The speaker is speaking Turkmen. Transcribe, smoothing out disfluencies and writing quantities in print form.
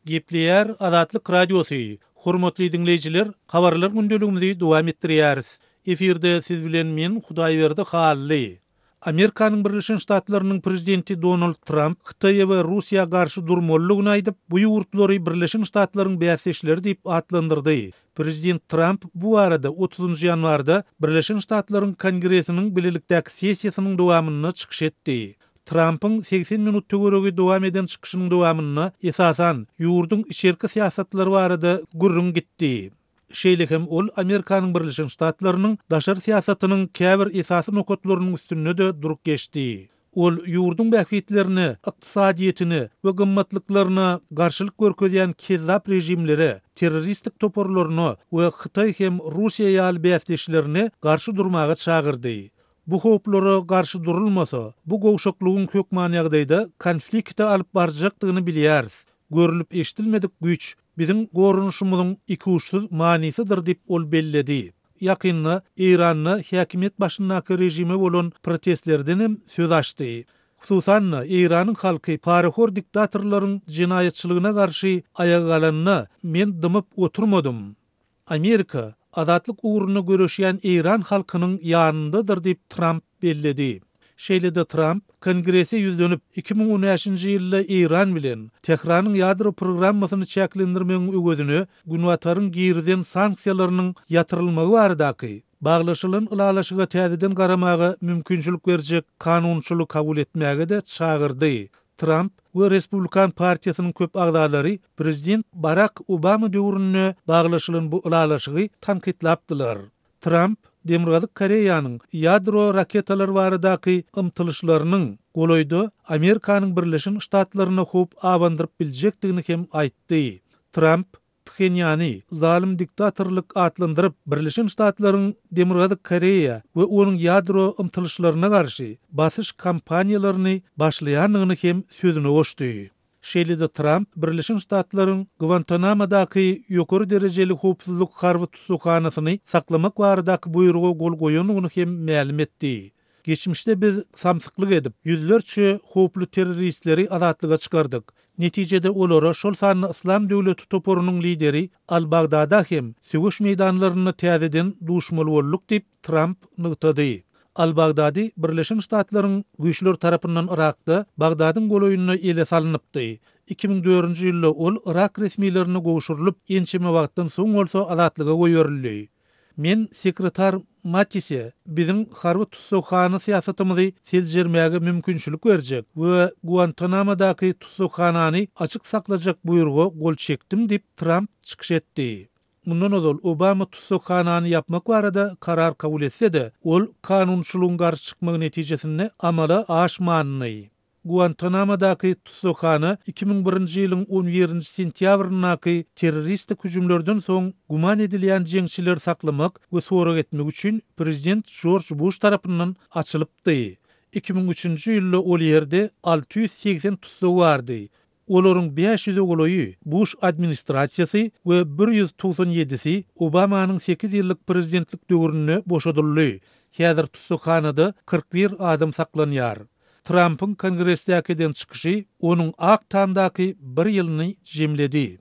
Gepleýär Azatlyk Radiosy, Hormatly diňleýjiler, Habarlar gündeligimizi dowam etdirýäris. Efirde siz bilen men Hudaýberdi Hally. Amerikanyň Birleşen Ştatlarynyň prezidenti Donald Tramp Hytaýa we Russiýa garşy durmalydygyny aýdyp, bu ýurtlary Birleşen Ştatlaryň bäsdeşleri diýip atlandyrdy. Prezident Tramp bu barada otuzynjy ýanwarda Birleşen Ştatlaryň Kongresiniň bilelikdäki sessiýasynyň dowamynda çykyş etdi. Trampyň 80 minut töweregi dowam eden çykyşynyň dowamynda, esasan, ýurduň içerki syýasatlary barada gürrüň gitdi. Şeýle hem ol Amerikanyň Birleşen Ştatlarynyň daşary syýasatynyň käbir esasy nokatlarynyň üstünde-de durup geçdi. Ol ýurduň bähbitlerine, ykdysadyýetine we gymmatlyklaryna garşylyk görkezýän kezzap režimlere, terroristik toparlaryna we Hytaý hem Russiýa ýaly bäsdeşlerine garşy durmaga çagyrdy. Bu howplara garşy durulmasa, bu gowşaklygyň hökman ýagdaýda konflikte alyp barjakdygyny bilýäris. Görlüp-eşidilmedik güýç biziň goranyşymyzyň ikuçsuz manysydyr diýip ol belledi. Ýakynda Eýranda häkimiýet başyndaky režime bolan protestlerdenem söz açdy. Hususan-da, Eýranyň halky parahor diktatorlaryň jenaýatçylygyna garşy aýaga galanda, men dymyp oturmadym. Amerika, azatlyk ugrunda göreşýän eýran halkynyň ýanyndadyr diýip, Tramp belledi. Şeýle-de Tramp, Kongrese ýüzlenip, 2015-nji ýylda Eýran bilen Tähranyň ýadro programmasyny çäklendirmegiň öwezine Günbataryň girizen sanksiýalarynyň ýatyrylmagy baradaky baglaşylan ylalaşyga täzeden garamaga mümkinçilik berjek kanunçylygy kabul etmäge-de çagyrdy. Tramp we Respublikan partiýasynyň köp agzalary prezident Barak Obama döwründe baglaşylan bu ylalaşygy tankytlapdylar. Tramp Demirgazyk Koreýanyň ýadro raketalary baradaky ymtylyşlarynyň golaýda Amerikanyň Birleşen Ştatlaryna howp abandyryp biljekdigini hem aýtdy. Tramp Phenýany zalym diktatorlyk atlandyryp, Birleşen Ştatlaryň Demirgazyk Koreýa we onuň ýadro ymtylyşlaryna garşy basyş kampaniýalaryny başlaýandygyny hem sözüne goşdy. Şeýle-de Tramp Birleşen Ştatlaryň Gwantanamadaky ýokary derejeli howpsuzlyk harby tussaghanasyny saklamak baradaky buýruga gol goýandygyny hem mälim etdi. Geçmişde biz samsyklyk edip, ýüzlerçe howply terroristleri azatlyga çykardyk. Netijede olara, şol sanda Yslam döwleti toparynyň lideri Al-Bagdada hem söweş meýdanlarynda täzeden duşmaly bolduk diýip, Tramp nygtady. Al-Bagdady Birleşen Ştatlaryň güýçleri tarapyndan Yrakda, Bagdadyň golaýynda ele salnypdy. 2004-nji ýylda ol yrak resmilerine gowşurylyp, ençeme wagtdan soň bolsa azatlyga goýberildi. Men sekretar Mattise biziň harby tussaghana syýasatymyzy seljermäge mümkinçilik berjek we Guantanamadaky tussaghanany açyk saklajak buýruga gol çekdim diýip, Tramp çykyş etdi. Mundan ozal Obama tussaghanany ýapmak barada karar kabul etse-de, ol kanunçylygyň garşy çykmagy netijesinde amala aşmandy. Guantanamadaky tussaghana 2001-nji ýylyň on birinji sentýabryndaky terroristik hüjümlerden soň güman edilýän jeňçileri saklamak we sorag etmek üçin prezident Jorj Buş tarapyndan açylypdy. 2003-nji ýylda ol ýerde 680 tussag bardy. Olaryň bäş ýüze golaýy Buş administrasiýasy we bir 197-si Obamanyň sekiz ýyllyk prezidentlik döwründe boşadyldy. Häzir tussaghanada 41 adam saklanýar. Trampyň Kongresdäki eden çykyşy onuň Ak Tamdaky bir ýylyny jemledi.